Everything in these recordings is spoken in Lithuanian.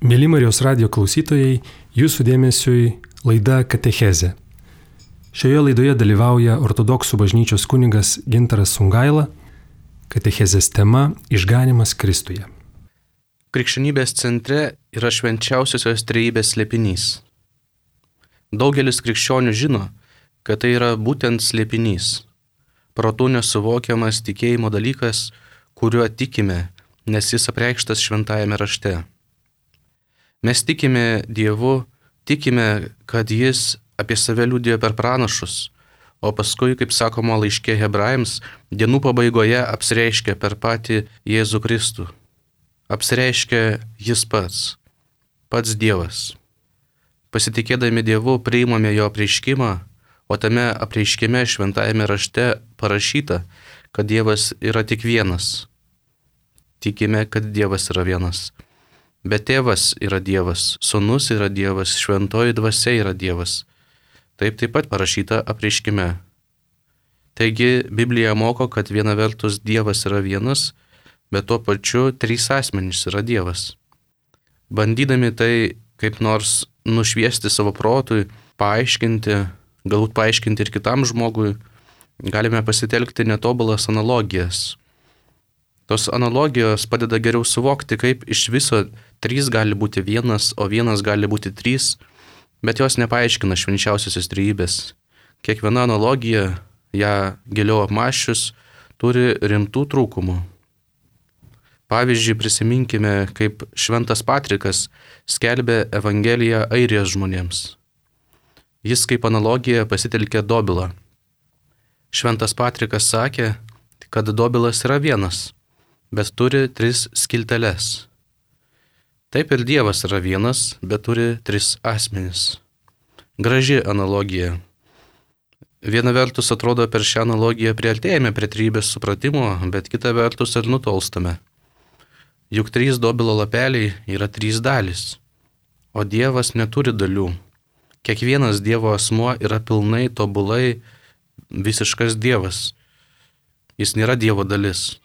Mėly Marijos radijo klausytojai, jūsų dėmesiui laida Katechezė. Šioje laidoje dalyvauja ortodoksų bažnyčios kunigas Gintaras Sungaila. Katechezės tema – Išganymas Kristuje. Krikščionybės centre yra švenčiausiosios trejybės slėpinys. Daugelis krikščionių žino, kad tai yra būtent slėpinys. Protu nesuvokiamas tikėjimo dalykas, kuriuo tikime, nes jis apreikštas šventajame rašte. Mes tikime Dievu, tikime, kad jis apie save liudijo per pranašus, o paskui, kaip sakoma laiške Hebrajams, dienų pabaigoje apsireiškia per patį Jėzų Kristų. Apsireiškia jis pats Dievas. Pasitikėdami Dievu priimame jo apreiškimą, o tame apreiškime šventajame rašte parašyta, kad Dievas yra tik vienas. Tikime, kad Dievas yra vienas. Bet Tėvas yra Dievas, Sūnus yra Dievas, Šventoji Dvasia yra Dievas. Taip pat parašyta apreiškime. Taigi Biblija moko, kad viena vertus Dievas yra vienas, bet tuo pačiu trys asmenys yra Dievas. Bandydami tai kaip nors nušviesti savo protui, paaiškinti, galbūt paaiškinti ir kitam žmogui, galime pasitelkti netobulas analogijas. Tos analogijos padeda geriau suvokti, kaip iš viso trys gali būti vienas, o vienas gali būti trys, bet jos nepaaiškina švenčiausiosios trejybės. Kiekviena analogija, ją giliau apmąsčius, turi rimtų trūkumų. Pavyzdžiui, prisiminkime, kaip šventas Patrikas skelbė Evangeliją Airijos žmonėms. Jis kaip analogiją pasitelkė dobilą. Šventas Patrikas sakė, kad dobilas yra vienas, bet turi tris skilteles. Taip ir Dievas yra vienas, bet turi tris asmenis. Graži analogija. Viena vertus atrodo per šią analogiją priartėjame prie trejybės supratimo, bet kita vertus ir nutolstame. Juk trys dobilo lapeliai yra trys dalys, o Dievas neturi dalių. Kiekvienas Dievo asmuo yra pilnai, tobulai, visiškas Dievas. Jis nėra Dievo dalis.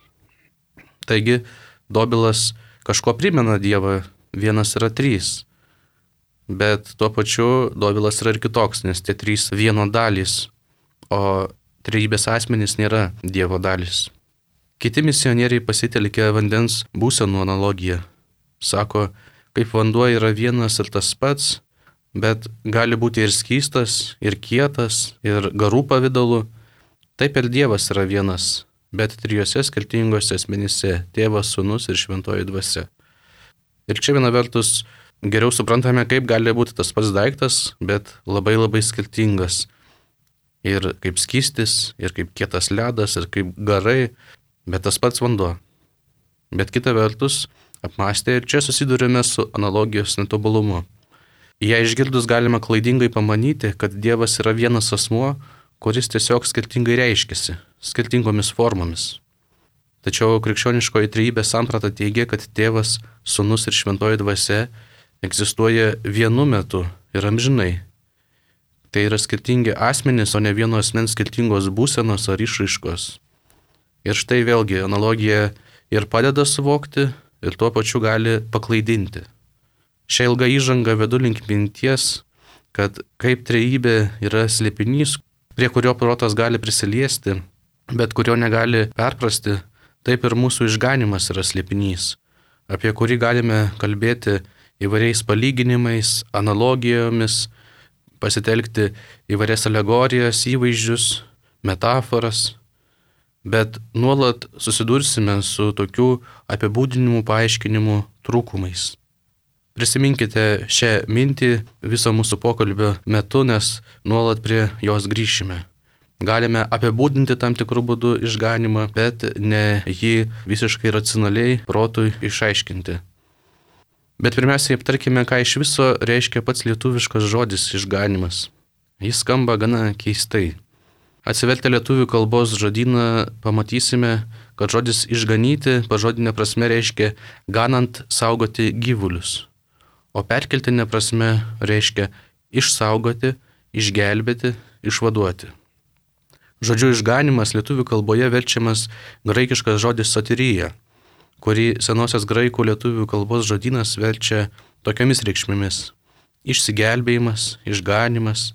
Taigi, dobilas kažko primena Dievą, vienas yra trys. Bet tuo pačiu dobilas yra ir kitoks, nes tie trys vieno dalys, o trejybės asmenys nėra Dievo dalys. Kiti misionieriai pasitelkė vandens būsenų analogiją. Sako, kaip vanduo yra vienas ir tas pats, bet gali būti ir skystas, ir kietas, ir garų pavidalu, taip ir Dievas yra vienas, bet trijose skirtingose asmenyse – Tėvas, Sūnus ir Šventoji Dvasia. Ir čia viena vertus geriau suprantame, kaip gali būti tas pats daiktas, bet labai skirtingas. Ir kaip skystis, ir kaip kietas ledas, ir kaip garai, bet tas pats vanduo. Bet kita vertus, apmąstę ir čia susidurime su analogijos netobulumu. Ją išgirdus galima klaidingai pamanyti, kad Dievas yra vienas asmuo, kuris tiesiog skirtingai reiškiasi, skirtingomis formomis. Tačiau krikščioniškoji trejybės samprata teigia, kad Tėvas, Sūnus ir Šventoji Dvasia egzistuoja vienu metu ir amžinai. Tai yra skirtingi asmenys, o ne vieno asmens skirtingos būsenos ar išraiškos. Ir štai vėlgi analogija ir padeda suvokti, ir tuo pačiu gali paklaidinti. Šią ilgą įžangą vedu link minties, kad kaip trejybė yra slėpinys, prie kurio protas gali prisiliesti, bet kurio negali perprasti, taip ir mūsų išganymas yra slėpinys, apie kurį galime kalbėti įvairiais palyginimais, analogijomis, pasitelkti įvairias alegorijas, įvaizdžius, metaforas, bet nuolat susidursime su tokių apibūdinimų, paaiškinimų trūkumais. Prisiminkite šią mintį viso mūsų pokalbio metu, nes nuolat prie jos grįšime. Galime apibūdinti tam tikrų būdų išganymą, bet ne jį visiškai racionaliai protui išaiškinti. Bet pirmiausiai aptarkime, ką iš viso reiškia pats lietuviškas žodis išganymas. Jis skamba gana keistai. Atsivertę lietuvių kalbos žodyną pamatysime, kad žodis išganyti pažodinė prasme reiškia ganant saugoti gyvulius. O perkeltinė prasme reiškia išsaugoti, išgelbėti, išvaduoti. Žodžiu išganimas lietuvių kalboje verčiamas graikiškas žodis soterija, kurį senosios graikų lietuvių kalbos žodynas verčia tokiamis reikšmėmis: išsigelbėjimas, išganymas,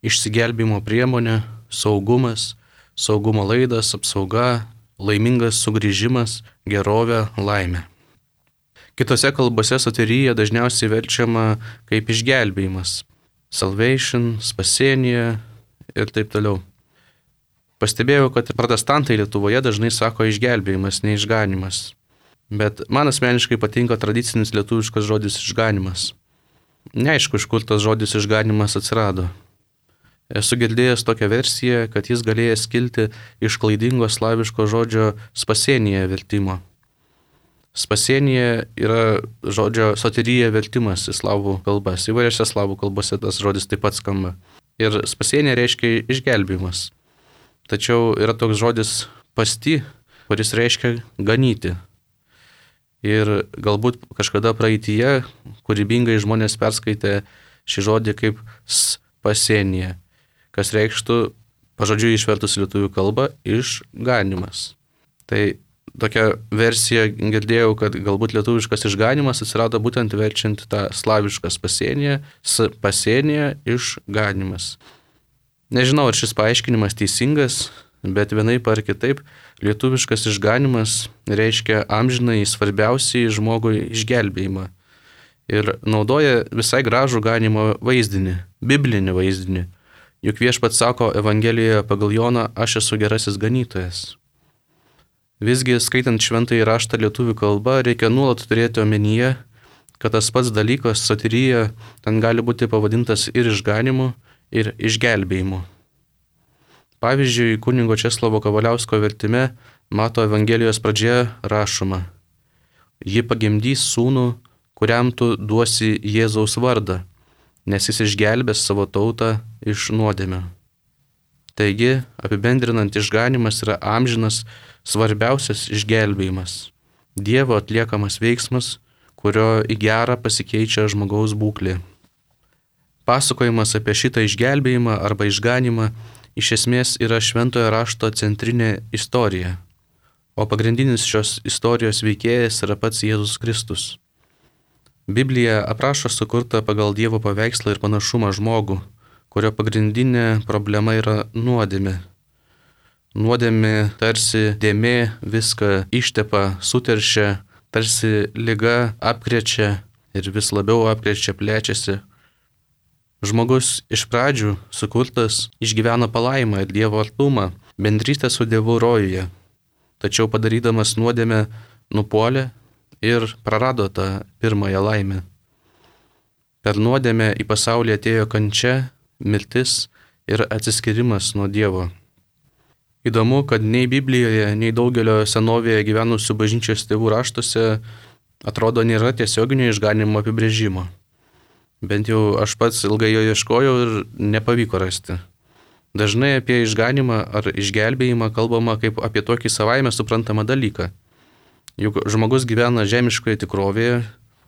išsigelbėjimo priemonė, saugumas, saugumo laidas, apsauga, laimingas sugrįžimas, gerovė, laimė. Kitose kalbose soterija dažniausiai verčiama kaip išgelbėjimas, salvation, spasienija ir taip toliau. Pastebėjau, kad protestantai Lietuvoje dažnai sako išgelbėjimas, ne išganimas. Bet man asmeniškai patinka tradicinis lietuviškas žodis išganimas. Neaišku, iš kur tas žodis išganimas atsirado. Esu girdėjęs tokią versiją, kad jis galėjęs kilti iš klaidingo slaviško žodžio spasienija vertimo. Spasienija yra žodžio soterija vertimas į slavų kalbas. Įvairiose slavų kalbose tas žodis taip pat skamba. Ir spasienija reiškia išgelbėjimas. Tačiau yra toks žodis pasti, kuris reiškia ganyti. Ir galbūt kažkada praeityje kūrybingai žmonės perskaitė šį žodį kaip spasienija, kas reikštų, pažodžiui išvertus į lietuvių kalbą, išganimas. Tai tokia versija girdėjau, kad galbūt lietuviškas išganimas atsirado būtent verčiant tą slavišką spasienija, išganimas. Nežinau, ar šis paaiškinimas teisingas, bet vienaip ar kitaip lietuviškas išganimas reiškia amžinai svarbiausiai žmogui išgelbėjimą. Ir naudoja visai gražų ganimo vaizdinį, biblinį vaizdinį. Juk viešpats sako Evangelijoje pagal Joną: aš esu gerasis ganytojas. Visgi, skaitant šventąjį raštą lietuvių kalba, reikia nuolat turėti omenyje, kad tas pats dalykas, soterija, ten gali būti pavadintas ir išganimu, ir išgelbėjimu. Pavyzdžiui, kunigo Česlovo Kavaliausko vertime Mato Evangelijos pradžioje rašoma: ji pagimdys sūnų, kuriam tu duosi Jėzaus vardą, nes jis išgelbės savo tautą iš nuodėmių. Taigi, apibendrinant, išganimas yra amžinas, svarbiausias išgelbėjimas. Dievo atliekamas veiksmas, kurio į gerą pasikeičia žmogaus būklė. Pasakojimas apie šitą išgelbėjimą arba išganimą iš esmės yra šventojo rašto centrinė istorija, o pagrindinis šios istorijos veikėjas yra pats Jėzus Kristus. Biblija aprašo sukurtą pagal Dievo paveikslą ir panašumą žmogų, kurio pagrindinė problema yra nuodėmė. Nuodėmė tarsi dėmė viską ištepa, suteršia, tarsi liga apkrečia ir vis labiau apkrečia, plečiasi. Žmogus iš pradžių sukurtas išgyveno palaimą ir Dievo artumą, bendrystę su Dievu rojuje, tačiau padarydamas nuodėmę nupuolė ir prarado tą pirmąją laimę. Per nuodėmę į pasaulį atėjo kančia, mirtis ir atsiskyrimas nuo Dievo. Įdomu, kad nei Biblijoje, nei daugelio senovėje gyvenusių bažnyčios tėvų raštuose atrodo nėra tiesioginio išganimo apibrėžimo. Bent jau aš pats ilgai jo ieškojau ir nepavyko rasti. Dažnai apie išganimą ar išgelbėjimą kalbama kaip apie tokį savaime suprantamą dalyką. Juk žmogus gyvena žemiškoje tikrovėje,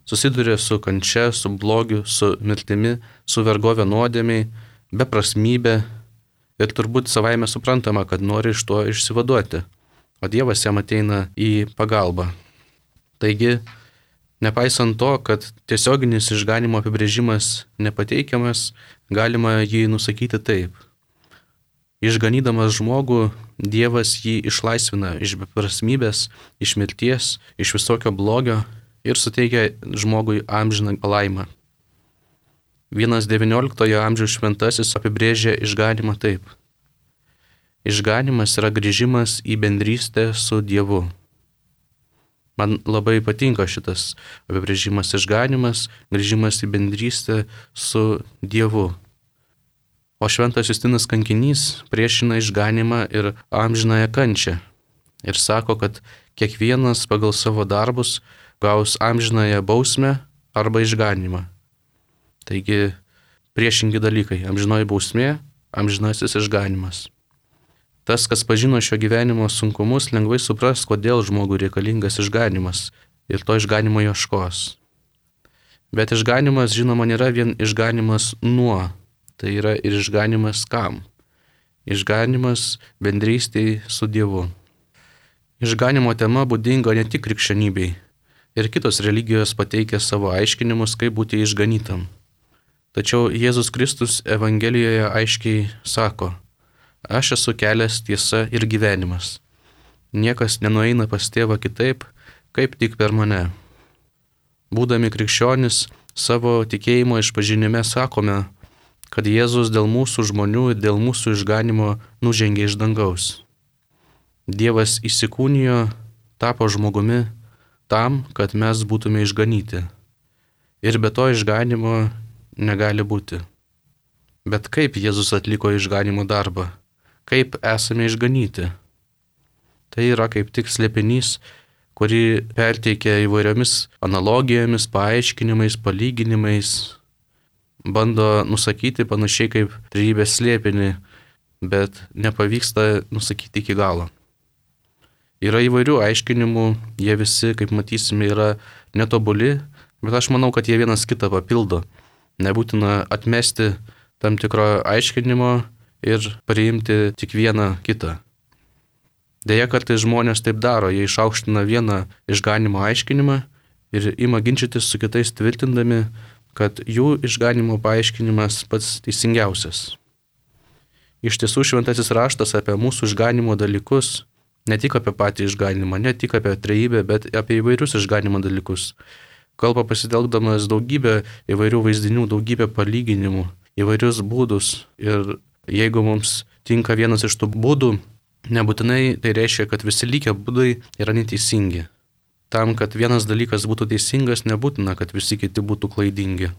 susiduria su kančia, su blogiu, su mirtimi, su vergovė nuodėmiai, beprasmybė ir turbūt savaime suprantama, kad nori iš to išsivaduoti, o Dievas jam ateina į pagalbą. Taigi, nepaisant to, kad tiesioginis išganimo apibrėžimas nepateikiamas, galima jį nusakyti taip. Išganydamas žmogų, Dievas jį išlaisvina iš beprasmybės, iš mirties, iš visokio blogio ir suteikia žmogui amžiną palaimą. Vienas XIX amžiaus šventasis apibrėžė išganimą taip. Išganimas yra grįžimas į bendrystę su Dievu. Man labai patinka šitas apibrėžimas: išganimas, grįžimas į bendrystę su Dievu. O šventas Justinas Kankinys priešina išganimą ir amžinąją kančią ir sako, kad kiekvienas pagal savo darbus gaus amžinąją bausmę arba išganimą. Taigi priešingi dalykai: amžinoji bausmė, amžinasis išganimas. Tas, kas pažino šio gyvenimo sunkumus, lengvai supras, kodėl žmogui reikalingas išganimas ir to išganimo ieškos. Bet išganimas, žinoma, nėra vien išganimas nuo, tai yra ir išganimas kam? Išganimas bendrystėj su Dievu. Išganimo tema būdinga ne tik krikščionybei, Ir kitos religijos pateikia savo aiškinimus, kaip būti išganytam. Tačiau Jėzus Kristus Evangelijoje aiškiai sako: aš esu kelias, tiesa ir gyvenimas. Niekas nenueina pas tėvą kitaip, kaip tik per mane. Būdami krikščionis, savo tikėjimo išpažinime sakome, kad Jėzus dėl mūsų žmonių ir dėl mūsų išganimo nužengė iš dangaus. Dievas įsikūnijo, tapo žmogumi tam, kad mes būtume išganyti. Ir be to išganimo negali būti. Bet kaip Jėzus atliko išganimo darbą? Kaip esame išganyti? Tai yra kaip tik slėpinys, kurį perteikia įvairiomis analogijomis, paaiškinimais, palyginimais, bando nusakyti panašiai kaip trejybės slėpinį, bet nepavyksta nusakyti iki galo. Yra įvairių aiškinimų, jie visi, kaip matysime, yra netobuli, bet aš manau, kad jie vienas kitą papildo. Nebūtina atmesti tam tikro aiškinimo ir priimti tik vieną kitą. Deja, kartais žmonės taip daro, jie išaukština vieną išganimo aiškinimą ir ima ginčytis su kitais tvirtindami, kad jų išganimo paaiškinimas pats teisingiausias. Iš tiesų šventasis raštas apie mūsų išganimo dalykus, ne tik apie patį išganimą, ne tik apie trejybę, bet apie įvairius išganimo dalykus. Kalba pasitelkdamas daugybę įvairių vaizdinių, daugybę palyginimų, įvairius būdus. Ir jeigu mums tinka vienas iš tų būdų, nebūtinai tai reiškia, kad visi likę būdai yra neteisingi. Tam, kad vienas dalykas būtų teisingas, nebūtina, kad visi kiti būtų klaidingi.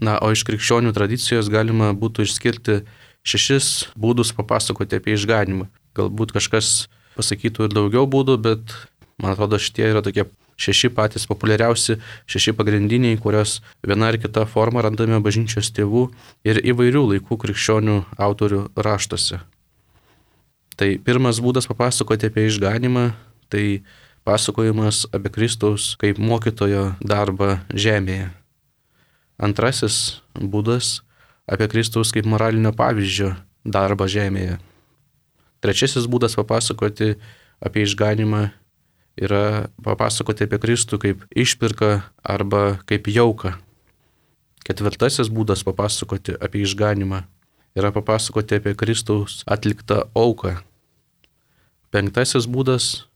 O iš krikščionių tradicijos galima būtų išskirti 6 būdus papasakoti apie išganimą. Galbūt kažkas pasakytų ir daugiau būdų, bet man atrodo šitie yra tokie 6 patys populiariausi, 6 pagrindiniai, kurios viena ar kita forma randame bažnyčios tėvų ir įvairių laikų krikščionių autorių raštuose. Tai pirmas būdas papasakoti apie išganimą, tai pasakojimas apie Kristaus kaip mokytojo darbą žemėje. Antrasis būdas apie Kristaus kaip moralinio pavyzdžio darbą žemėje. Trečiasis būdas papasakoti apie išganimą yra papasakoti apie Kristų kaip išpirką arba kaip jauką. Ketvirtasis būdas papasakoti apie išganimą yra papasakoti apie Kristaus atliktą auką. Penktasis būdas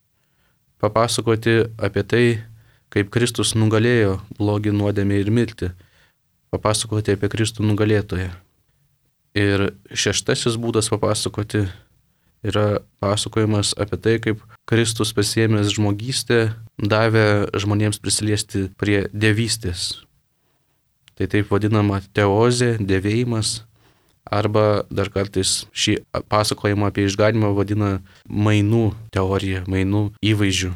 papasakoti apie tai, kaip Kristus nugalėjo blogį, nuodėmę ir mirtį. Papasakoti apie Kristų nugalėtoją. Ir šeštasis būdas papasakoti yra pasakojimas apie tai, kaip Kristus pasiėmęs žmogystę davė žmonėms prisiliesti prie dievystės. Tai taip vadinama teozė, dievėjimas, arba dar kartais šį pasakojimą apie išganimą vadina mainų teorija, mainų įvaizdžių.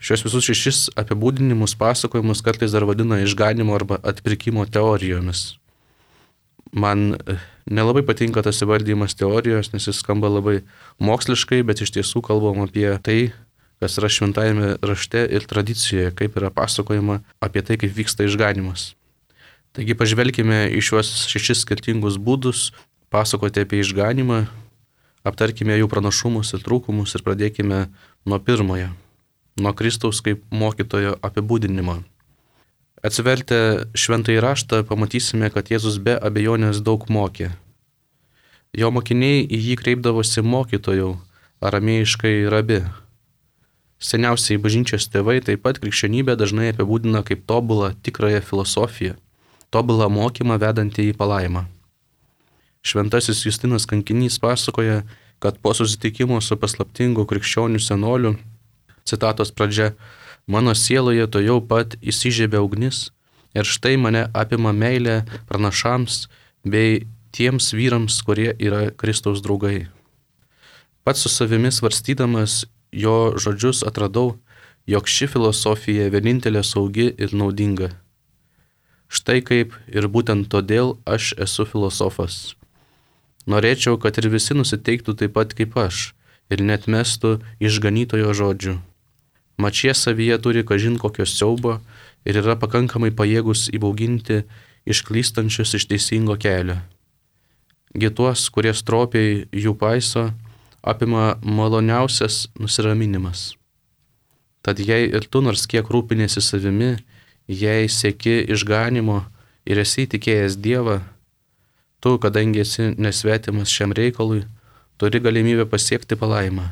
Šios visus 6 apibūdinimus, pasakojimus kartais dar vadina išganimo arba atpirkimo teorijomis. Man nelabai patinka tas įvardymas teorijos, nes jis skamba labai moksliškai, bet iš tiesų kalbam apie tai, kas yra šventajame rašte ir tradicijoje, kaip yra pasakojama apie tai, kaip vyksta išganimas. Taigi pažvelkime į šiuos 6 skirtingus būdus pasakoti apie išganimą, aptarkime jų pranašumus ir trūkumus ir pradėkime nuo pirmojo, nuo Kristaus kaip mokytojo apibūdinimo. Atsivertę šventąjį raštą pamatysime, kad Jėzus be abejonės daug mokė. Jo mokiniai į jį kreipdavosi mokytojau, aramėjiškai rabi. Seniausiai bažnyčios tėvai taip pat krikščionybę dažnai apibūdina kaip tobulą tikrąją filosofiją, tobulą mokymą vedantį į palaimą. Šventasis Justinas Kankinys pasakoja, kad po susitikimo su paslaptingu krikščionių senoliu, citatos pradžia, mano sieloje to jau pat įsižiebė ugnis ir štai mane apima meilė pranašams bei tiems vyrams, kurie yra Kristaus draugai. Pats su savimi svarstydamas jo žodžius atradau, jog ši filosofija vienintelė saugi ir naudinga. Štai kaip ir būtent todėl aš esu filosofas. Norėčiau, kad ir visi nusiteiktų taip pat kaip aš ir neatmestų išganytojo žodžių. Mat šie savyje turi kažin kokio siaubo ir yra pakankamai pajėgus įbauginti išklystančius iš teisingo kelio. Gi tuos, kurie stropiai jų paiso, apima maloniausias nusiraminimas. Tad jei ir tu nors kiek rūpinėsi savimi, jei sieki išganimo ir esi tikėjęs Dievą, tu, kadangi esi nesvetimas šiam reikalui, turi galimybę pasiekti palaimą,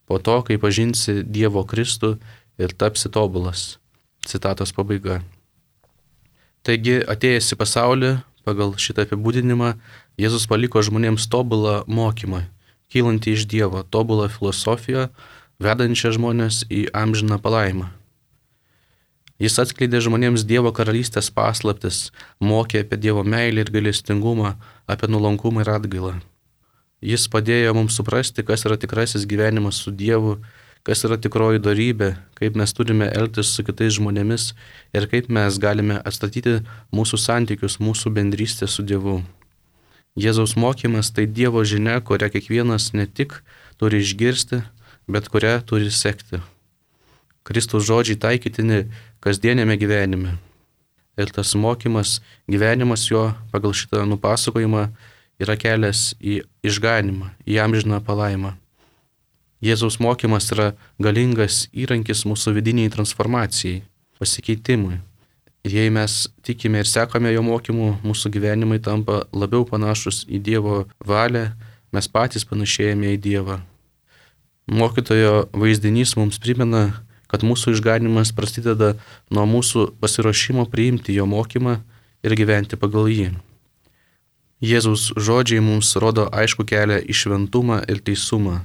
po to, kai pažinsi Dievo Kristų ir tapsi tobulas. Citatos pabaiga. Taigi, atėjęs į pasaulį, pagal šitą apibūdinimą, Jėzus paliko žmonėms tobulą mokymą, kylantį iš Dievo, tobulą filosofiją, vedančią žmonės į amžiną palaimą. Jis atskleidė žmonėms Dievo karalystės paslaptis, mokė apie Dievo meilę ir gailestingumą, apie nuolankumą ir atgailą. Jis padėjo mums suprasti, kas yra tikrasis gyvenimas su Dievu, kas yra tikroji dorybė, kaip mes turime elgtis su kitais žmonėmis ir kaip mes galime atstatyti mūsų santykius, mūsų bendrystę su Dievu. Jėzaus mokymas tai Dievo žinia, kurią kiekvienas ne tik turi išgirsti, bet kurią turi sekti. Kristaus žodžiai taikytini kasdienėme gyvenime. Ir tas mokymas, gyvenimas jo pagal šitą nupasakojimą yra kelias į išganimą, į amžiną palaimą. Jėzaus mokymas yra galingas įrankis mūsų vidiniai transformacijai, pasikeitimui. Ir jei mes tikime ir sekame jo mokymu, mūsų gyvenimai tampa labiau panašus į Dievo valią, mes patys panašėjame į Dievą. Mokytojo vaizdinys mums primena, kad mūsų išganimas prasideda nuo mūsų pasiruošimo priimti jo mokymą ir gyventi pagal jį. Jėzaus žodžiai mums rodo aišku kelią į šventumą ir teisumą.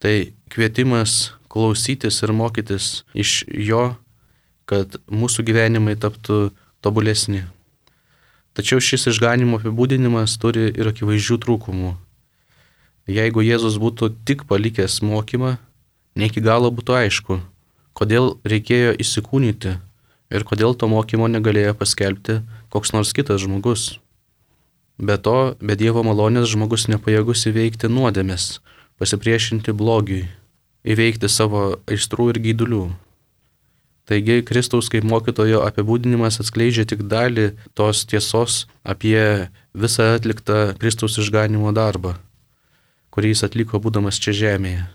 Tai kvietimas klausytis ir mokytis iš jo, kad mūsų gyvenimai taptų tobulesni. Tačiau šis išganimo apibūdinimas turi ir akivaizdžių trūkumų. Jeigu Jėzus būtų tik palikęs mokymą, ne iki galo būtų aišku, kodėl reikėjo įsikūnyti ir kodėl to mokymo negalėjo paskelbti koks nors kitas žmogus. Be to, be Dievo malonės žmogus nepajėgus įveikti nuodėmės, pasipriešinti blogiui, įveikti savo aistrų ir geidulių. Taigi Kristaus kaip mokytojo apibūdinimas atskleidžia tik dalį tos tiesos apie visą atliktą Kristaus išganimo darbą, kurį jis atliko būdamas čia žemėje.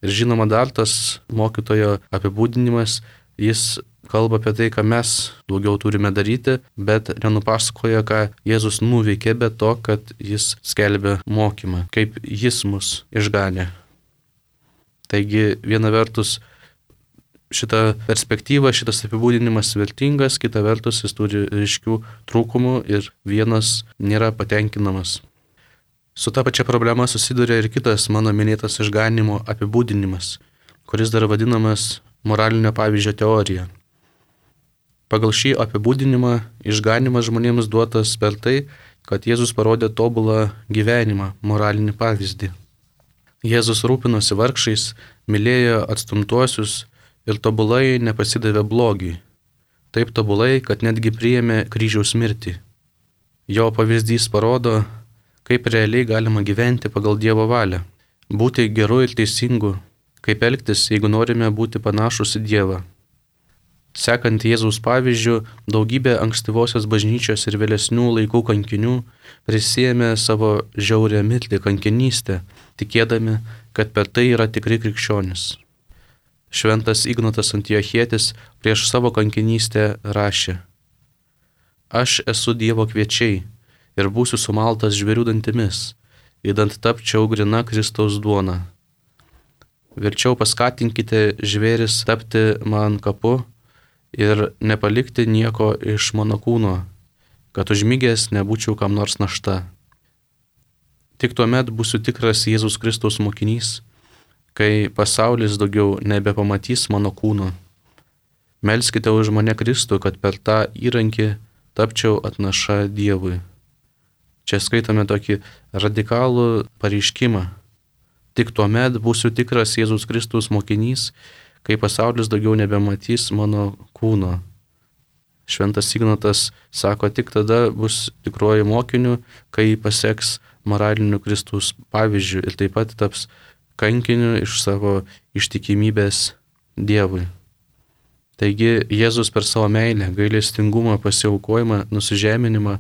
Ir žinoma, dar tas mokytojo apibūdinimas, jis kalba apie tai, ką mes daugiau turime daryti, bet nenupasakoja, ką Jėzus nuveikė, be to, kad jis skelbė mokymą, kaip jis mus išganė. Taigi, viena vertus, šita perspektyva, šitas apibūdinimas vertingas, kita vertus, jis turi ryškių trūkumų ir vienas nėra patenkinamas. Su ta pačia problema susiduria ir kitas mano minėtas išganimo apibūdinimas, kuris dar vadinamas moralinio pavyzdžio teorija. Pagal šį apibūdinimą išganimas žmonėms duotas per tai, kad Jėzus parodė tobulą gyvenimą, moralinį pavyzdį. Jėzus rūpinosi vargšais, mylėjo atstumtuosius ir tobulai nepasidavė blogiui. Taip tobulai, kad netgi priėmė kryžiaus mirtį. Jo pavyzdys parodo, kaip realiai galima gyventi pagal Dievo valią, būti geru ir teisingu, kaip elgtis, jeigu norime būti panašus į Dievą. Sekant Jėzaus pavyzdžiu, daugybė ankstyvosios bažnyčios ir vėlesnių laikų kankinių prisiėmė savo žiaurią mirtį kankinystę, tikėdami, kad per tai yra tikri krikščionys. Šventas Ignatas Antiochietis prieš savo kankinystę rašė: Aš esu Dievo kviečiai ir būsiu sumaltas žvėrių dantimis, įdant tapčiau grina Kristaus duona. Verčiau paskatinkite žvėris tapti man kapu ir nepalikti nieko iš mano kūno, kad užmigęs nebūčiau kam nors našta. Tik tuomet būsiu tikras Jėzus Kristaus mokinys, kai pasaulis daugiau nebepamatys mano kūno. Melskite už mane Kristų, kad per tą įrankį tapčiau atnaša Dievui. Čia skaitome tokį radikalų pareiškimą. Tik tuomet būsiu tikras Jėzus Kristus mokinys, kai pasaulis daugiau nebematys mano kūno. Šventas Ignatas sako, tik tada bus tikruoju mokiniu, kai paseks moraliniu Kristaus pavyzdžiu ir taip pat taps kankiniu iš savo ištikimybės Dievui. Taigi Jėzus per savo meilę, gailestingumą, pasiaukojimą, nusižeminimą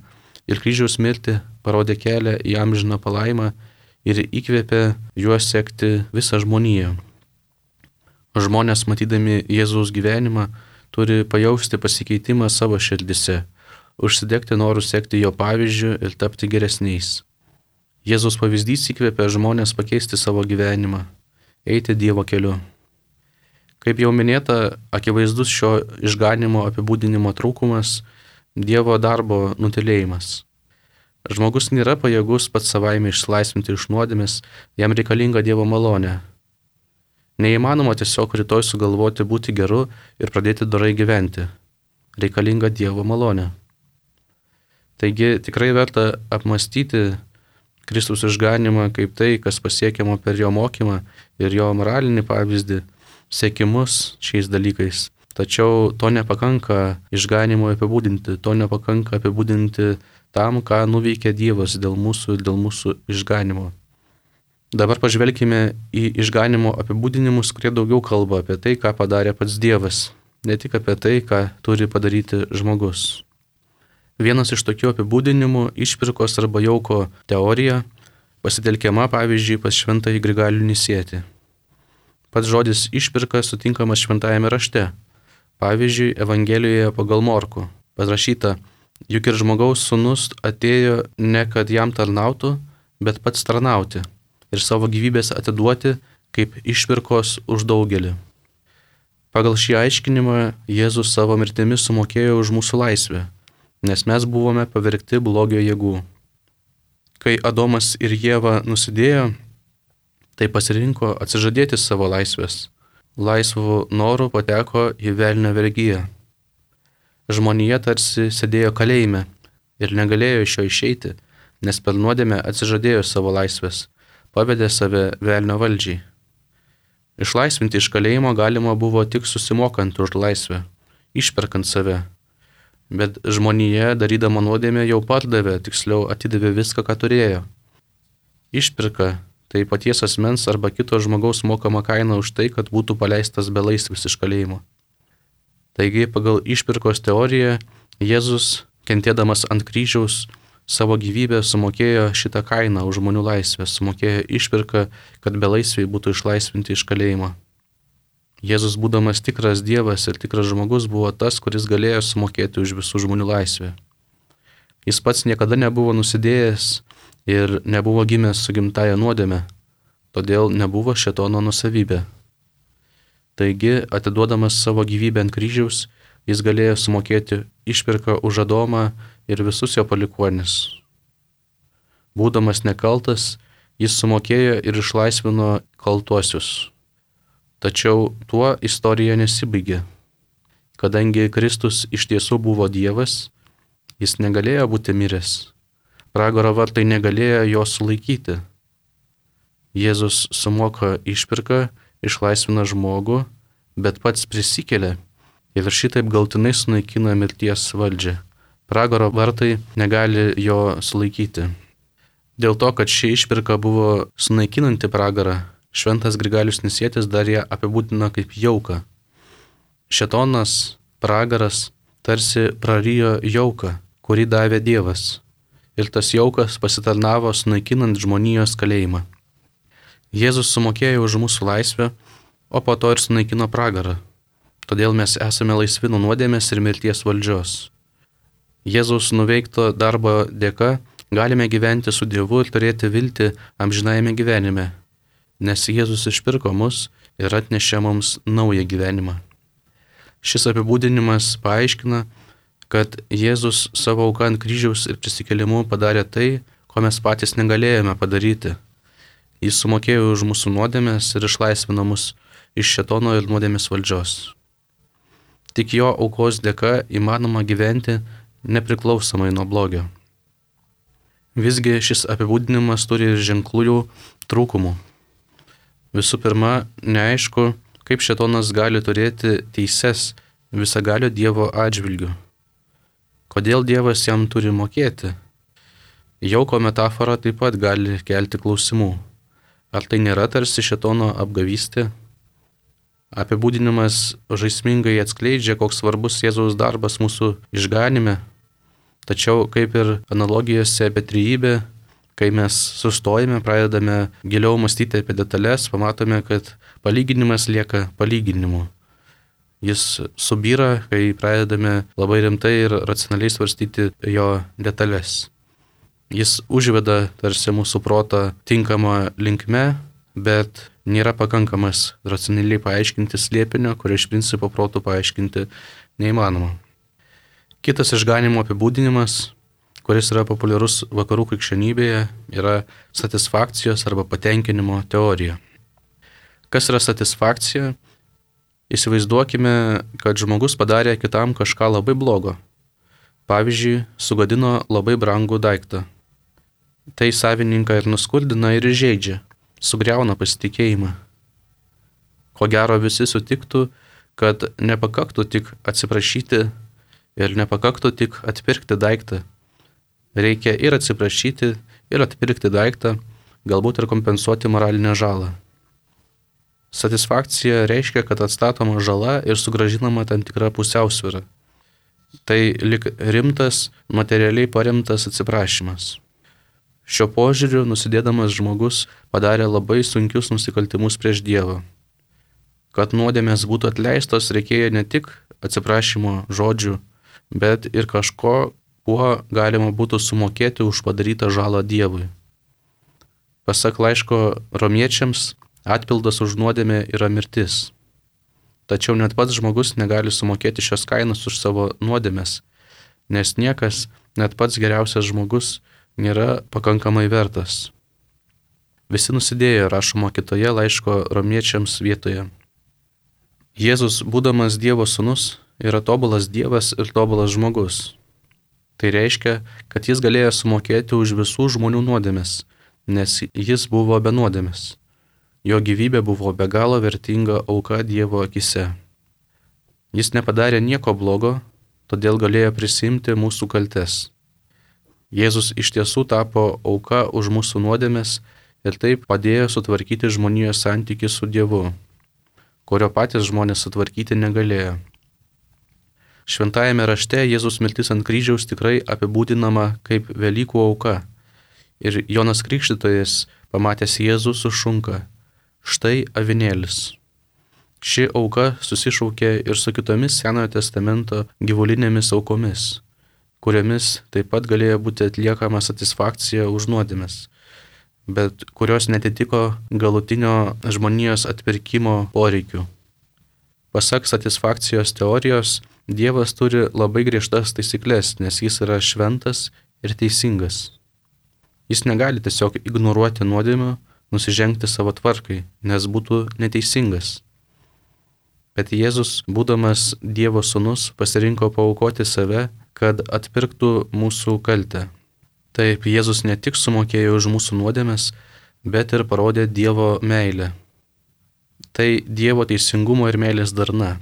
ir kryžiaus mirtį parodė kelią į amžiną palaimą ir įkvėpė juos sekti visą žmoniją. Žmonės, matydami Jėzaus gyvenimą, turi pajausti pasikeitimą savo širdise, užsidegti norų sekti jo pavyzdžiu ir tapti geresniais. Jėzaus pavyzdys įkvėpia žmonės pakeisti savo gyvenimą, eiti Dievo keliu. Kaip jau minėta, akivaizdus šio išganimo apibūdinimo trūkumas – Dievo darbo nutylėjimas. Žmogus nėra pajėgus pats savaime išsilaisvinti iš nuodėmės, jam reikalinga Dievo malonė. Neįmanoma tiesiog rytoj sugalvoti būti geru ir pradėti dorai gyventi. Reikalinga Dievo malonė. Taigi tikrai verta apmastyti Kristaus išganimą kaip tai, kas pasiekiama per jo mokymą ir jo moralinį pavyzdį, siekimus šiais dalykais. Tačiau to nepakanka išganimo apibūdinti, to nepakanka apibūdinti tam, ką nuveikė Dievas dėl mūsų išganimo. Dabar pažvelkime į išganimo apibūdinimus, kurie daugiau kalba apie tai, ką padarė pats Dievas, ne tik apie tai, ką turi padaryti žmogus. Vienas iš tokių apibūdinimų – išpirkos arba jauko teorija, pasitelkiama pavyzdžiui pas šventąjį Grigalių Nisietį. Pats žodis išpirka sutinkamas šventajame rašte. Pavyzdžiui, Evangelijoje pagal Morkų parašyta, juk ir žmogaus sūnus atėjo ne kad jam tarnautų, bet pats tarnauti ir savo gyvybės atiduoti kaip išpirkos už daugelį. Pagal šį aiškinimą Jėzus savo mirtimi sumokėjo už mūsų laisvę, nes mes buvome pavergti blogio jėgų. Kai Adomas ir Ieva nusidėjo, tai pasirinko atsižadėti savo laisvės. Laisvų norų pateko į velnio vergiją. Žmonija tarsi sėdėjo kalėjime ir negalėjo iš jo išeiti, nes per nuodėmę atsižadėjo savo laisvės, pavedė save velnio valdžiai. Išlaisvinti iš kalėjimo galima buvo tik susimokant už laisvę, išperkant save. Bet žmonija, darydama nuodėmę, jau pardavė, tiksliau atidavė viską, ką turėjo. Išpirka tai paties asmens arba kito žmogaus mokama kaina už tai, kad būtų paleistas belaisvis iš kalėjimo. Taigi, pagal išpirkos teoriją, Jėzus, kentėdamas ant kryžiaus, savo gyvybę sumokėjo šitą kainą už žmonių laisvę, sumokėjo išpirką, kad belaisviai būtų išlaisvinti iš kalėjimo. Jėzus, būdamas tikras Dievas ir tikras žmogus, buvo tas, kuris galėjo sumokėti už visų žmonių laisvę. Jis pats niekada nebuvo nusidėjęs ir nebuvo gimęs su gimtaja nuodėme, todėl nebuvo šėtono nuosavybė. Taigi, atiduodamas savo gyvybę ant kryžiaus, jis galėjo sumokėti išpirką už Adomą ir visus jo palikuonis. Būdamas nekaltas, jis sumokėjo ir išlaisvino kaltuosius. Tačiau tuo istorija nesibaigė. Kadangi Kristus iš tiesų buvo Dievas, jis negalėjo būti miręs. Pragaro vartai negalėjo jo sulaikyti. Jėzus sumoka išpirką, išlaisvina žmogų, bet pats prisikelia ir šitaip galtinai sunaikina mirties valdžią. Pragaro vartai negali jo sulaikyti. Dėl to, kad ši išpirka buvo sunaikinanti pragarą, šventas Grigalius Nisietis dar ją apibūdino kaip jauką. Šėtonas, pragaras, tarsi prarijo jauką, kurį davė Dievas. Ir tas jaukas pasitarnavo sunaikinant žmonijos kalėjimą. Jėzus sumokėjo už mūsų laisvę, o po to ir sunaikino pragarą. Todėl mes esame laisvi nuo nuodėmės ir mirties valdžios. Jėzaus nuveikto darbo dėka galime gyventi su Dievu ir turėti viltį amžinajame gyvenime, nes Jėzus išpirko mus ir atnešė mums naują gyvenimą. Šis apibūdinimas paaiškina, kad Jėzus savo auką ant kryžiaus ir prisikėlimu padarė tai, ko mes patys negalėjome padaryti. Jis sumokėjo už mūsų nuodėmės ir išlaisvino mus iš šėtono ir nuodėmės valdžios. Tik jo aukos dėka įmanoma gyventi nepriklausomai nuo blogio. Visgi šis apibūdinimas turi ir ženklų trūkumų. Visų pirma, neaišku, kaip šėtonas gali turėti teises visagalio Dievo atžvilgiu. Kodėl Dievas jam turi mokėti? Jauko metafora taip pat gali kelti klausimų. Ar tai nėra tarsi šėtono apgavystė? Apibūdinimas žaismingai atskleidžia, koks svarbus Jėzaus darbas mūsų išganime. Tačiau, kaip ir analogijose apie trejybę, Kai mes sustojame, pradedame giliau mąstyti apie detalės, pamatome, kad palyginimas lieka palyginimu. Jis subyra, kai pradedame labai rimtai ir racionaliai svarstyti jo detalės. Jis užveda tarsi mūsų protą tinkamą linkme, bet nėra pakankamas racionaliai paaiškinti slėpinio, kurio iš principo protų paaiškinti neįmanoma. Kitas išganimo apibūdinimas, kuris yra populiarus vakarų krikščionybėje, yra satisfakcijos arba patenkinimo teorija. Kas yra satisfakcija? Įsivaizduokime, kad žmogus padarė kitam kažką labai blogo. Pavyzdžiui, sugadino labai brangų daiktą. Tai savininką ir nuskurdina ir įžeidžia, sugriauna pasitikėjimą. Ko gero visi sutiktų, kad nepakaktų tik atsiprašyti ir nepakaktų tik atpirkti daiktą. Reikia ir atsiprašyti, ir atpirkti daiktą, galbūt ir kompensuoti moralinę žalą. Satisfakcija reiškia, kad atstatoma žala ir sugrąžinama tam tikra pusiausvyra. Tai lyg rimtas, materialiai paremtas atsiprašymas. Šio požiūriu nusidėdamas žmogus padarė labai sunkius nusikaltimus prieš Dievą. Kad nuodėmės būtų atleistos, reikėjo ne tik atsiprašymo žodžių, bet ir kažko, kuo galima būtų sumokėti už padarytą žalą Dievui. Pasak laiško romiečiams, atpildas už nuodėmę yra mirtis. Tačiau net pats žmogus negali sumokėti šios kainos už savo nuodėmės, nes niekas, net pats geriausias žmogus, nėra pakankamai vertas. Visi nusidėjo, rašoma kitoje laiško romiečiams vietoje. Jėzus, būdamas Dievo sūnus, yra tobulas Dievas ir tobulas žmogus. Tai reiškia, kad jis galėjo sumokėti už visų žmonių nuodėmes, nes jis buvo be nuodėmės. Jo gyvybė buvo be galo vertinga auka Dievo akise. Jis nepadarė nieko blogo, todėl galėjo prisimti mūsų kaltes. Jėzus iš tiesų tapo auka už mūsų nuodėmes ir taip padėjo sutvarkyti žmonijos santykį su Dievu, kurio patys žmonės sutvarkyti negalėjo. Šventajame rašte Jėzus mirtis ant kryžiaus tikrai apibūdinama kaip Velykų auka. Ir Jonas Krikštytojas, pamatęs Jėzų, sušunka: štai avinėlis. Ši auka susišaukė ir su kitomis Senojo testamento gyvulinėmis aukomis, kuriomis taip pat galėjo būti atliekama satisfakcija už nuodėmes, bet kurios netitiko galutinio žmonijos atpirkimo poreikių. Pasak satisfakcijos teorijos, Dievas turi labai griežtas taisyklės, nes jis yra šventas ir teisingas. Jis negali tiesiog ignoruoti nuodėmių, nusižengti savo tvarkai, nes būtų neteisingas. Bet Jėzus, būdamas Dievo sūnus, pasirinko paaukoti save, kad atpirktų mūsų kaltę. Taip, Jėzus ne tik sumokėjo už mūsų nuodėmes, bet ir parodė Dievo meilę. Tai Dievo teisingumo ir meilės darna.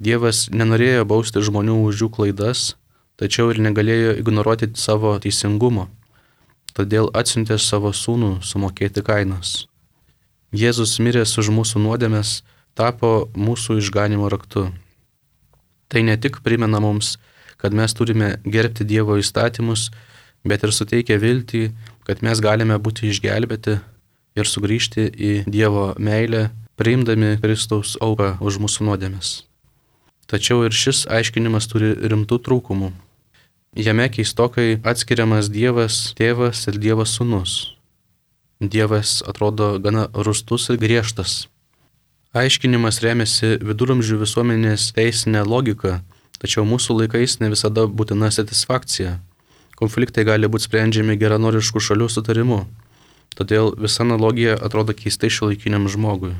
Dievas nenorėjo bausti žmonių už jų klaidas, tačiau ir negalėjo ignoruoti savo teisingumo. Todėl atsiuntė savo sūnų sumokėti kainos. Jėzus miręs už mūsų nuodėmes tapo mūsų išganimo raktu. Tai ne tik primena mums, kad mes turime gerbti Dievo įstatymus, bet ir suteikia viltį, kad mes galime būti išgelbėti ir sugrįžti į Dievo meilę, priimdami Kristaus auką už mūsų nuodėmes. Tačiau ir šis aiškinimas turi rimtų trūkumų. Jame keistokai atskiriamas Dievas tėvas ir Dievas sūnus. Dievas atrodo gana rūstus ir griežtas. Aiškinimas remiasi viduramžių visuomenės teisinė logika, tačiau mūsų laikais ne visada būtina satisfakcija. Konfliktai gali būti sprendžiami geranoriškų šalių sutarimu, todėl visa analogija atrodo keistai šiuolaikiniam žmogui.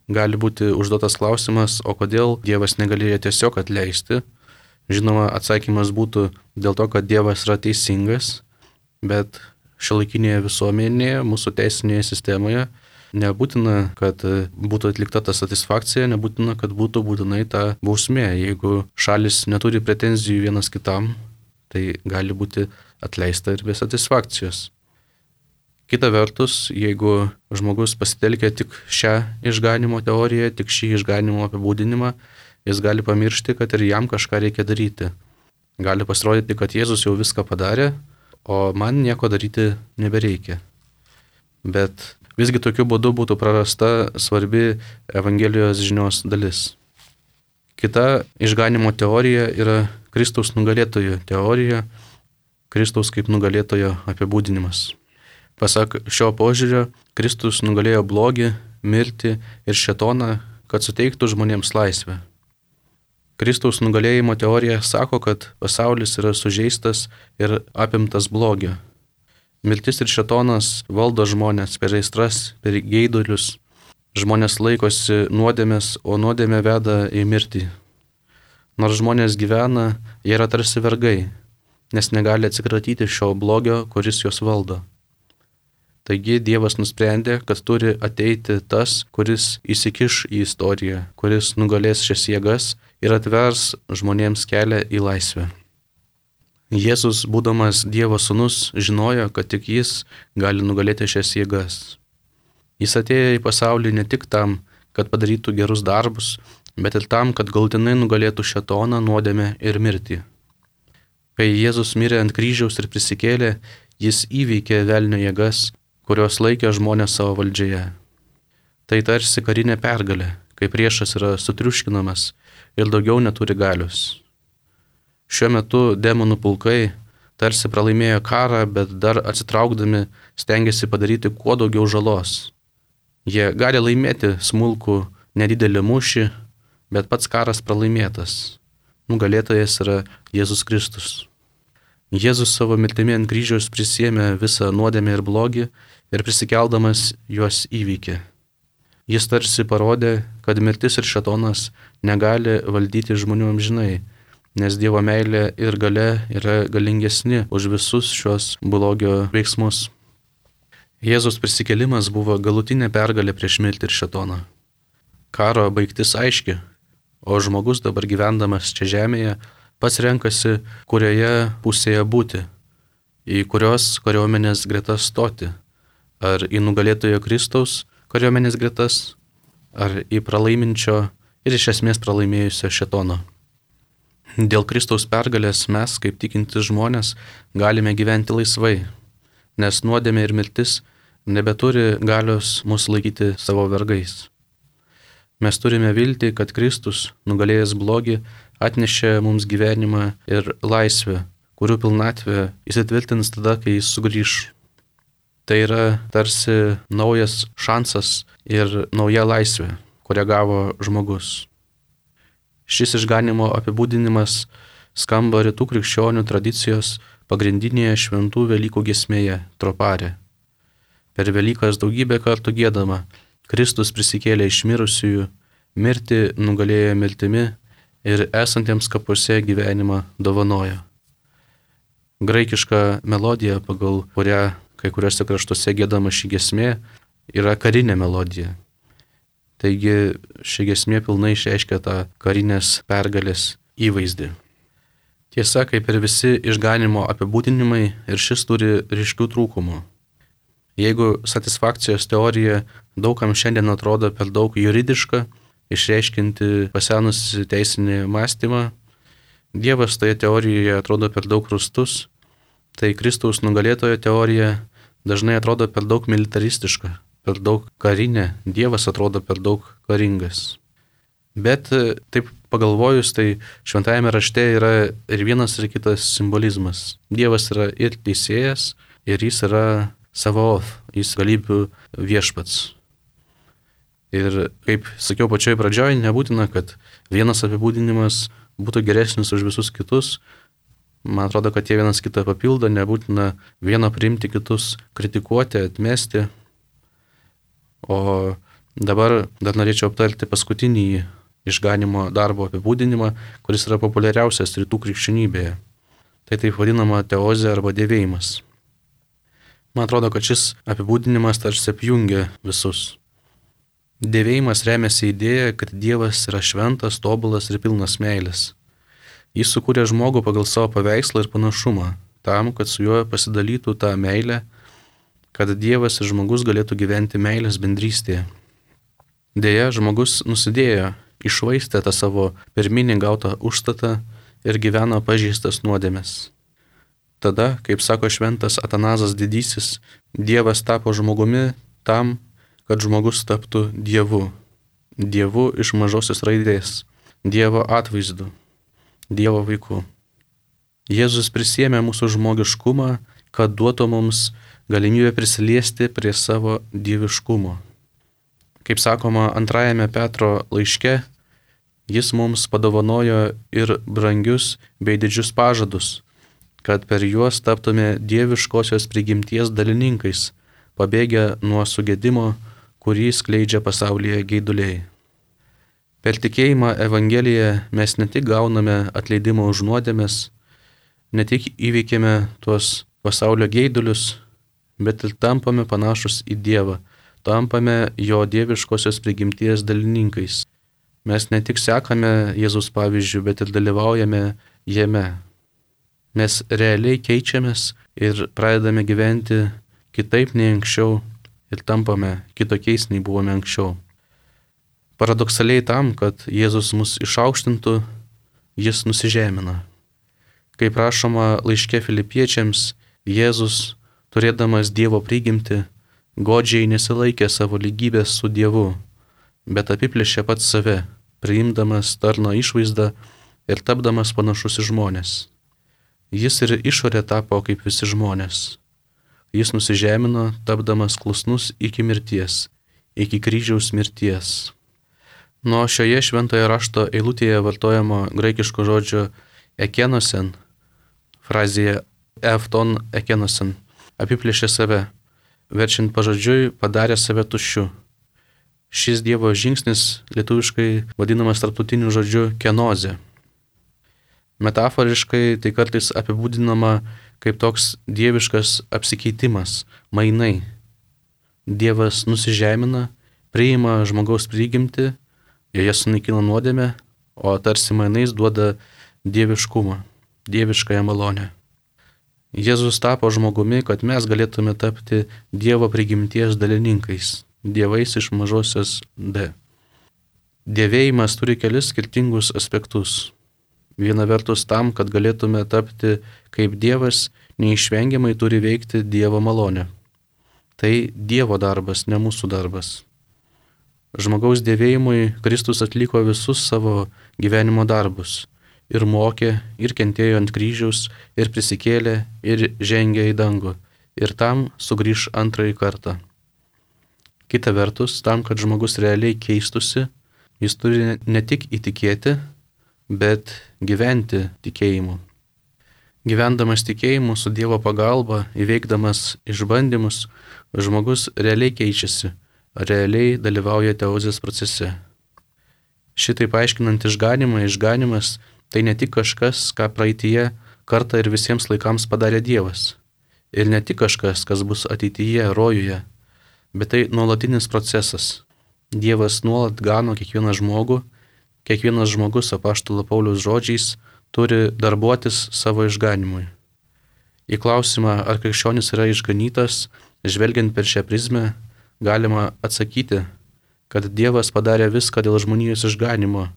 Gali būti užduotas klausimas, o kodėl Dievas negalėjo tiesiog atleisti? Žinoma, atsakymas būtų dėl to, kad Dievas yra teisingas, bet šiuolaikinėje visuomenėje, mūsų teisinėje sistemoje nebūtina, kad būtų atlikta ta satisfakcija, nebūtina, kad būtų būtinai ta bausmė. Jeigu šalis neturi pretenzijų vienas kitam, tai gali būti atleista ir be satisfakcijos. Kita vertus, jeigu žmogus pasitelkia tik šią išganimo teoriją, tik šį išganimo apibūdinimą, jis gali pamiršti, kad ir jam kažką reikia daryti. Gali pasirodyti, kad Jėzus jau viską padarė, o man nieko daryti nebereikia. Bet visgi tokiu būdu būtų prarasta svarbi Evangelijos žinios dalis. Kita išganimo teorija yra Kristaus nugalėtojo teorija, Kristaus kaip nugalėtojo apibūdinimas. Pasak šio požiūrio, Kristus nugalėjo blogį, mirtį ir šėtoną, kad suteiktų žmonėms laisvę. Kristaus nugalėjimo teorija sako, kad pasaulis yra sužeistas ir apimtas blogio. Mirtis ir šėtonas valdo žmonės per aistras, per geidulius. Žmonės laikosi nuodėmės, o nuodėmė veda į mirtį. Nors žmonės gyvena, jie yra tarsi vergai, nes negali atsikratyti šio blogio, kuris juos valdo. Taigi Dievas nusprendė, kad turi ateiti tas, kuris įsikiš į istoriją, kuris nugalės šias jėgas ir atvers žmonėms kelią į laisvę. Jėzus, būdamas Dievo sūnus, žinojo, kad tik jis gali nugalėti šias jėgas. Jis atėjo į pasaulį ne tik tam, kad padarytų gerus darbus, bet ir tam, kad galutinai nugalėtų šėtoną, nuodėmę ir mirtį. Kai Jėzus mirė ant kryžiaus ir prisikėlė, jis įveikė velnio jėgas, kurios laikė žmonės savo valdžioje. Tai tarsi karinė pergalė, kai priešas yra sutriuškinamas ir daugiau neturi galios. Šiuo metu demonų pulkai tarsi pralaimėjo karą, bet dar atsitraukdami stengiasi padaryti kuo daugiau žalos. Jie gali laimėti smulkų, nedidelį mūšį, bet pats karas pralaimėtas. Nugalėtojas yra Jėzus Kristus. Jėzus savo mirtimi ant kryžiaus prisiėmė visą nuodėmę ir blogį ir prisikeldamas juos įveikė. Jis tarsi parodė, kad mirtis ir šėtonas negali valdyti žmonių amžinai, nes Dievo meilė ir galia yra galingesni už visus šios blogio veiksmus. Jėzus prisikėlimas buvo galutinė pergalė prieš mirtį ir šėtoną. Karo baigtis aiški, o žmogus dabar gyvendamas čia žemėje pats renkasi, kurioje pusėje būti, į kurios kariuomenės gretas stoti, ar į nugalėtojo Kristaus kariuomenės gretas, ar į pralaiminčio ir iš esmės pralaimėjusio šėtono. Dėl Kristaus pergalės mes, kaip tikintys žmonės, galime gyventi laisvai, nes nuodėmė ir mirtis nebeturi galios mus laikyti savo vergais. Mes turime viltį, kad Kristus, nugalėjęs blogį, atnešė mums gyvenimą ir laisvę, kurių pilnatvė įsitvirtins tada, kai jis sugrįš. Tai yra tarsi naujas šansas ir nauja laisvė, kurią gavo žmogus. Šis išganimo apibūdinimas skamba rytų krikščionių tradicijos pagrindinėje šventų Velykų giesmėje Tropare. Per Velykas daugybę kartų giedama: Kristus prisikėlė iš mirusiųjų, mirtį nugalėjo mirtimi ir esantiems kapuose gyvenimą dovanojo. Graikiška melodija, pagal kurią kai kuriuose kraštuose giedama ši giesmė, yra karinė melodija. Taigi ši giesmė pilnai išreiškia tą karinės pergalės įvaizdį. Tiesa, kaip ir visi išganimo apibūdinimai, ir šis turi ryškių trūkumų. Jeigu satisfakcijos teorija daugam šiandien atrodo per daug juridiška, išreiškinti pasenusi teisinį mąstymą, Dievas toje teorijoje atrodo per daug rūstus, tai Kristaus nugalėtojo teorija dažnai atrodo per daug militaristiška, per daug karinė, Dievas atrodo per daug karingas. Bet taip pagalvojus, tai šventajame rašte yra ir vienas ir kitas simbolizmas. Dievas yra ir teisėjas, ir jis yra Savaoth, jis galybių viešpats. Ir kaip sakiau pačioj pradžioj, nebūtina, kad vienas apibūdinimas būtų geresnis už visus kitus. Man atrodo, kad jie vienas kitą papildo, nebūtina vieną priimti, kitus kritikuoti, atmesti. O dabar dar norėčiau aptarti paskutinį išganimo darbo apibūdinimą, kuris yra populiariausias rytų krikščionybėje. Tai taip vadinama teozė arba dėvėjimas. Man atrodo, kad šis apibūdinimas tarsi apjungia visus. Dėvėjimas remiasi idėja, kad Dievas yra šventas, tobulas ir pilnas meilės. Jis sukūrė žmogų pagal savo paveikslą ir panašumą, tam, kad su juo pasidalytų tą meilę, kad Dievas ir žmogus galėtų gyventi meilės bendrystėje. Deja, žmogus nusidėjo, iššvaistė tą savo pirminį gautą užstatą ir gyveno pažeistas nuodėmes. Tada, kaip sako šventas Atanazas Didysis, Dievas tapo žmogumi tam, kad žmogus taptų Dievu. Dievu iš mažosios raidės, Dievo atvaizdu, Dievo vaiku. Jėzus prisėmė mūsų žmogiškumą, kad duotų mums galimybę prisiliesti prie savo dieviškumo. Kaip sakoma antrajame Petro laiške, jis mums padovanojo ir brangius bei didžius pažadus, kad per juos taptume dieviškosios prigimties dalininkais, pabėgę nuo sugedimo, kurį skleidžia pasaulyje geiduliai. Per tikėjimą Evangeliją mes ne tik gauname atleidimą už nuodėmes, ne tik įveikėme tuos pasaulio geidulius, bet ir tampame panašus į Dievą, tampame jo dieviškosios prigimties dalininkais. Mes ne tik sekame Jėzaus pavyzdžių, bet ir dalyvaujame jame. Mes realiai keičiamės ir pradedame gyventi kitaip nei anksčiau ir tampame kitokiais nei buvome anksčiau. Paradoksaliai tam, kad Jėzus mus išaukštintų, jis nusižemina. Kaip rašoma laiške Filipiečiams, Jėzus, turėdamas Dievo prigimtį, godžiai nesilaikė savo lygybės su Dievu, bet apiplėšė pats save, priimdamas tarno išvaizdą ir tapdamas panašus į žmones. Jis ir išorė tapo kaip visi žmonės. Jis nusižemino, tapdamas klusnus iki mirties, iki kryžiaus mirties. Nuo šioje šventojo rašto eilutėje vartojamo graikiško žodžio ekenosen, frazėje efton ekenosen, apiplėšė save, verčiant pažodžiui padarė save tuščiu. Šis Dievo žingsnis lietuviškai vadinamas tarptautiniu žodžiu kenozė. Metaforiškai tai kartais apibūdinama kaip toks dieviškas apsikeitimas, mainai. Dievas nusižemina, priima žmogaus prigimtį, joje sunaikina nuodėmę, o tarsi mainais duoda dieviškumą, dieviškąją malonę. Jėzus tapo žmogumi, kad mes galėtume tapti Dievo prigimties dalininkais, dievais iš mažosios D. Dievėjimas turi kelis skirtingus aspektus. Viena vertus tam, kad galėtume tapti kaip Dievas, neišvengiamai turi veikti Dievo malonė. Tai Dievo darbas, ne mūsų darbas. Žmogaus dievėjimui Kristus atliko visus savo gyvenimo darbus. Ir mokė, ir kentėjo ant kryžiaus, ir prisikėlė, ir žengė į dangų. Ir tam sugrįš antrąjį kartą. Kita vertus, tam, kad žmogus realiai keistusi, jis turi ne tik įtikėti, bet gyventi tikėjimu. Gyvendamas tikėjimu su Dievo pagalba, įveikdamas išbandymus, žmogus realiai keičiasi, realiai dalyvauja teozės procese. Šitaip aiškinant išganimą, išganimas tai ne tik kažkas, ką praeityje kartą ir visiems laikams padarė Dievas. Ir ne tik kažkas, kas bus ateityje, rojuje, bet tai nuolatinis procesas. Dievas nuolat gano kiekvieną žmogų, kiekvienas žmogus apaštalo Pauliaus žodžiais turi darbuotis savo išganimui. Į klausimą, ar krikščionis yra išganytas, žvelgiant per šią prizmę, galima atsakyti, kad Dievas padarė viską dėl žmonijos išganimo.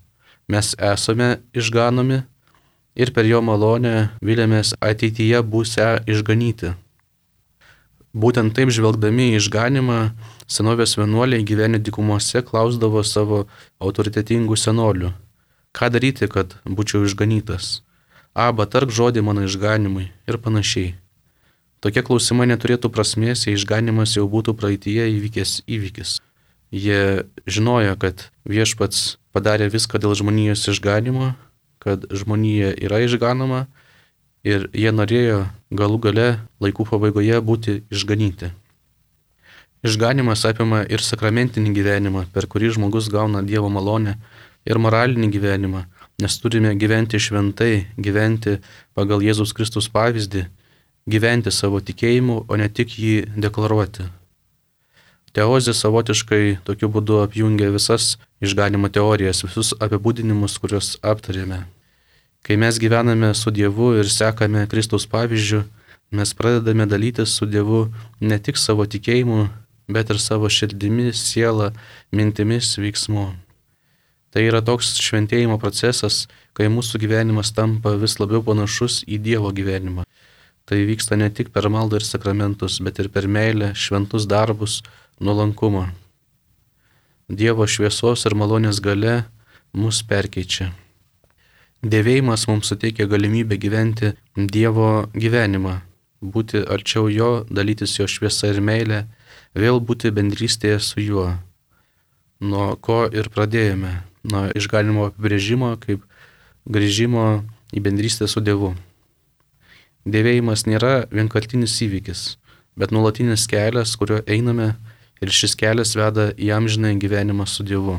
Mes esame išganomi ir per jo malonę vilėmės ateityje būsę išganyti. Būtent taip žvelgdami į išganimą, senovės vienuoliai gyvenę dykumose klausdavo savo autoritetingų senolių, ką daryti, kad būčiau išganytas. Aba, tark žodį mano išganimui ir panašiai. Tokie klausimai neturėtų prasmės, jei išganimas jau būtų praeityje įvykęs įvykis. Jie žinojo, kad Viešpats padarė viską dėl žmonijos išganimo, kad žmonija yra išganoma ir jie norėjo galų gale laikų pabaigoje būti išganyti. Išganimas apima ir sakramentinį gyvenimą, per kurį žmogus gauna Dievo malonę, ir moralinį gyvenimą, nes turime gyventi šventai, gyventi pagal Jėzaus Kristus pavyzdį, gyventi savo tikėjimu, o ne tik jį deklaruoti. Teozė savotiškai tokiu būdu apjungia visas išganimo teorijas, visus apibūdinimus, kuriuos aptarėme. Kai mes gyvename su Dievu ir sekame Kristaus pavyzdžiu, mes pradedame dalytis su Dievu ne tik savo tikėjimu, bet ir savo širdimi, siela, mintimis, veiksmu. Tai yra toks šventėjimo procesas, kai mūsų gyvenimas tampa vis labiau panašus į Dievo gyvenimą. Tai vyksta ne tik per maldą ir sakramentus, bet ir per meilę, šventus darbus, nuolankumą. Dievo šviesos ir malonės galia mus perkeičia. Dėvėjimas mums suteikia galimybę gyventi Dievo gyvenimą, būti arčiau Jo, dalytis Jo šviesa ir meilė, vėl būti bendrystėje su Juo. Nuo ko ir pradėjome, nuo išganimo apibrėžimo kaip grįžimo į bendrystę su Dievu. Dėvėjimas nėra vienkartinis įvykis, bet nuolatinis kelias, kuriuo einame, ir šis kelias veda į amžinąjį gyvenimą su Dievu.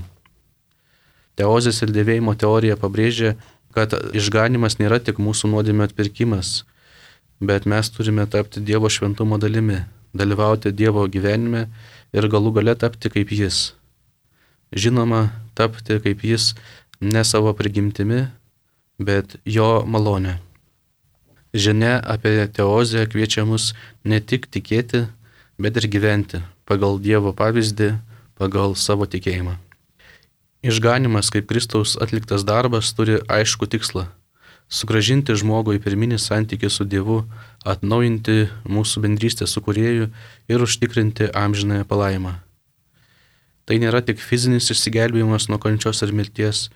Teozės ir dėvėjimo teorija pabrėžia, kad išganimas nėra tik mūsų nuodėmio atpirkimas, bet mes turime tapti Dievo šventumo dalimi, dalyvauti Dievo gyvenime ir galų gale tapti kaip Jis. Žinoma, tapti kaip Jis ne savo prigimtimi, bet Jo malonė. Žinia apie teozę kviečia mus ne tik tikėti, bet ir gyventi pagal Dievo pavyzdį, pagal savo tikėjimą. Išganimas kaip Kristaus atliktas darbas turi aišku tikslą – sugrąžinti žmogų į pirminį santykį su Dievu, atnaujinti mūsų bendrystę su Kūrėju ir užtikrinti amžinąją palaimą. Tai nėra tik fizinis išsigelbėjimas nuo kančios ir mirties,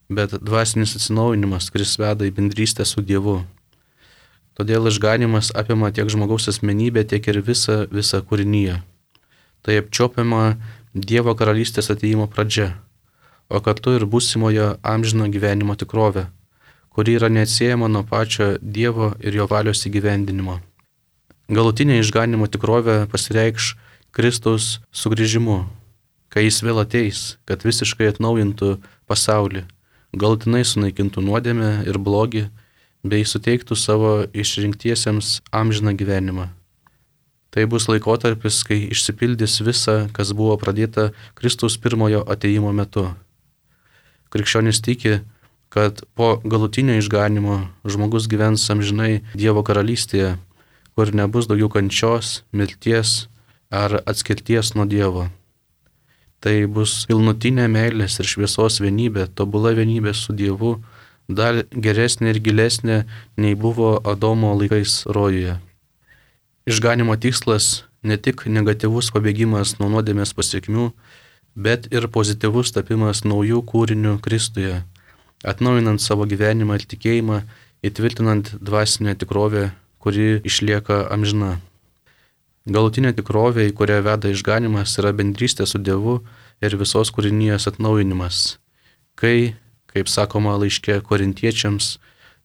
bet dvasinis atsinaujinimas, kuris veda į bendrystę su Dievu. Todėl išganimas apima tiek žmogaus asmenybę, tiek ir visą kūrinyje. Tai apčiopiama Dievo karalystės atėjimo pradžia, o kartu ir būsimojo amžino gyvenimo tikrovė, kuri yra neatsiejama nuo pačio Dievo ir Jo valios įgyvendinimo. Galutinė išganimo tikrovė pasireikš Kristaus sugrįžimu, kai Jis vėl ateis, kad visiškai atnaujintų pasaulį, galutinai sunaikintų nuodėmę ir blogį, bei suteiktų savo išrinktiesiems amžiną gyvenimą. Tai bus laikotarpis, kai išsipildys visa, kas buvo pradėta Kristaus pirmojo atėjimo metu. Krikščionys tiki, kad po galutinio išganimo žmogus gyvens amžinai Dievo karalystėje, kur nebus daugiau kančios, mirties ar atskirties nuo Dievo. Tai bus pilnutinė meilės ir šviesos vienybė, tobula vienybė su Dievu, dar geresnė ir gilesnė nei buvo Adomo laikais rojuje. Išganimo tikslas ne tik negatyvus pabėgimas nuo nuodėmės pasekmių, bet ir pozityvus tapimas naujų kūrinių Kristuje, atnaujinant savo gyvenimą ir tikėjimą, įtvirtinant dvasinę tikrovę, kuri išlieka amžina. Galutinė tikrovė, į kurią veda išganimas, yra bendrystė su Dievu ir visos kūrinijos atnaujinimas, kai, kaip sakoma laiške Korintiečiams,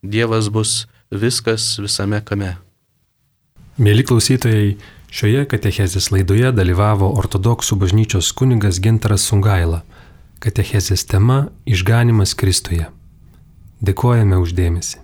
Dievas bus viskas visame kame. Mėly klausytojai, šioje katechezės laidoje dalyvavo ortodoksų bažnyčios kunigas Gintaras Sungaila. Katechezės tema – Išganimas Kristuje. Dėkojame už dėmesį.